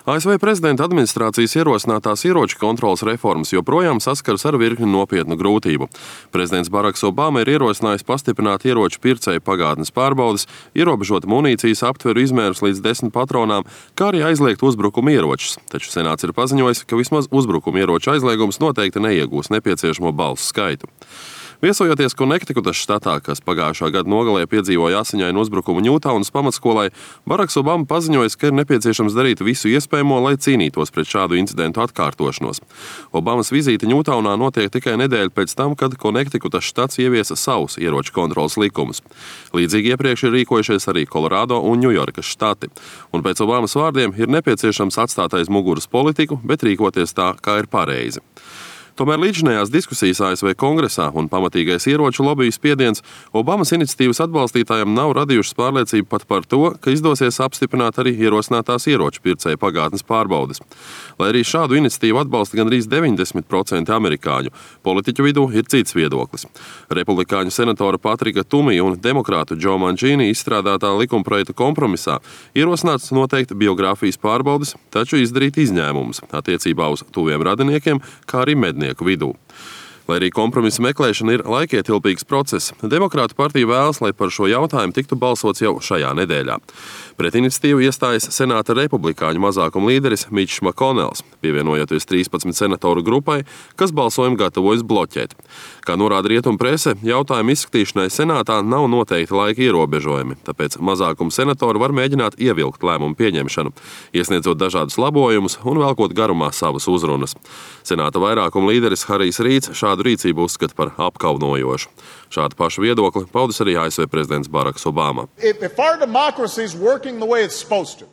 ASV prezidenta administrācijas ierosinātās ieroču kontroles reformas joprojām saskaras ar virkni nopietnu grūtību. Prezidents Baraks Obama ir ierosinājis pastiprināt ieroču pircēju pagātnes pārbaudes, ierobežot munīcijas aptveru izmērus līdz 10 patronām, kā arī aizliegt uzbrukuma ieročus. Taču Senāts ir paziņojis, ka vismaz uzbrukuma ieroču aizliegums noteikti neiegūs nepieciešamo balsu skaitu. Viesojoties Konektikutas štatā, kas pagājušā gada nogalē piedzīvoja asiņainu uzbrukumu Ņūtaunas pamatskolai, Baraks Obama paziņojis, ka ir nepieciešams darīt visu iespējamo, lai cīnītos pret šādu incidentu atkārtošanos. Obamas vizīte Ņūtaunā notiek tikai nedēļu pēc tam, kad Konektikutas štats ieviesa savus ieroču kontroles likumus. Līdzīgi iepriekš ir rīkojušies arī Kolorādo un Ņujorkas štati. Un pēc Obamas vārdiem ir nepieciešams atstāt aiz muguras politiku, bet rīkoties tā, kā ir pareizi. Tomēr līdzinējās diskusijas ASV Kongresā un pamatīgais ieroču lobiju spiediens Obamas iniciatīvas atbalstītājiem nav radījušas pārliecību pat par to, ka izdosies apstiprināt arī ierosinātās ieroču pircēju pagātnes pārbaudes. Lai arī šādu iniciatīvu atbalsta gandrīz 90% amerikāņu, politiķu vidū ir cits viedoklis. Republikāņu senatora Patrika Tumija un demokrātu Joe Mancini izstrādātā likumprojekta kompromisā ierosināts noteikti biogrāfijas pārbaudes, taču izdarīt izņēmumus attiecībā uz tuviem radiniekiem, kā arī mednieku vidū. Lai arī kompromisa meklēšana ir laikietilpīgs process, Demokrātu partija vēlas, lai par šo jautājumu tiktu balsots jau šajā nedēļā. Pret iniciatīvu iestājas Senāta republikāņu mazākuma līderis Mičs Makonels, pievienojoties 13 senatoru grupai, kas balsojumu gatavojas bloķēt. Kā norāda rietumu prese, jautājumu izskatīšanai Senātā nav noteikti laika ierobežojumi, tāpēc mazākuma senatori var mēģināt ievilkt lēmumu pieņemšanu, iesniedzot dažādus labojumus un velkot garumā savas uzrunas. Senāta vairākuma līderis Harijs Rīds šādu rīcību uzskata par apkaunojošu. Šādu pašu viedokli paudis arī ASV prezidents Baraks Obama.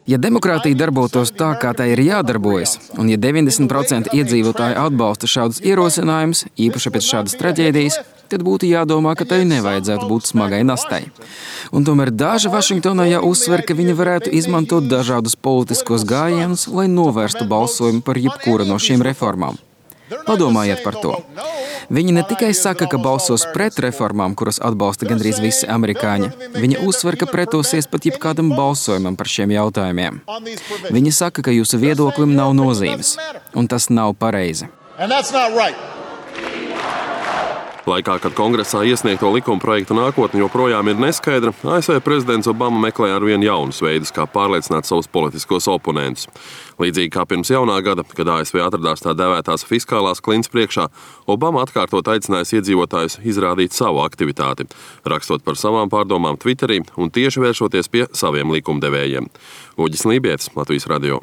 Ja demokrātija darbotos tā, kā tai ir jādarbojas, un ja 90% iedzīvotāji atbalsta šādus ierosinājumus, īpaši pēc šādas traģēdijas, tad būtu jādomā, ka tai nevajadzētu būt smagai nastai. Un tomēr daži Vašingtonā jau uzsver, ka viņi varētu izmantot dažādus politiskos gājienus, lai novērstu balsojumu par jebkuru no šīm reformām. Padomājiet par to. Viņi ne tikai saka, ka balsos pret reformām, kuras atbalsta gandrīz visi amerikāņi, viņi uzsver, ka pretosies pat jebkādam balsojumam par šiem jautājumiem. Viņi saka, ka jūsu viedoklim nav nozīmes, un tas nav pareizi. Laikā, kad Kongresā iesniegto likumprojektu nākotne joprojām ir neskaidra, ASV prezidents Obama meklē arvien jaunus veidus, kā pārliecināt savus politiskos oponentus. Līdzīgi kā pirms jaunā gada, kad ASV atradās tā dēvētās fiskālās klints priekšā, Obama atkārtot aicinājis iedzīvotājus izrādīt savu aktivitāti, rakstot par savām pārdomām Twitterī un tieši vēršoties pie saviem likumdevējiem. Uģis Lībietis, Latvijas radio.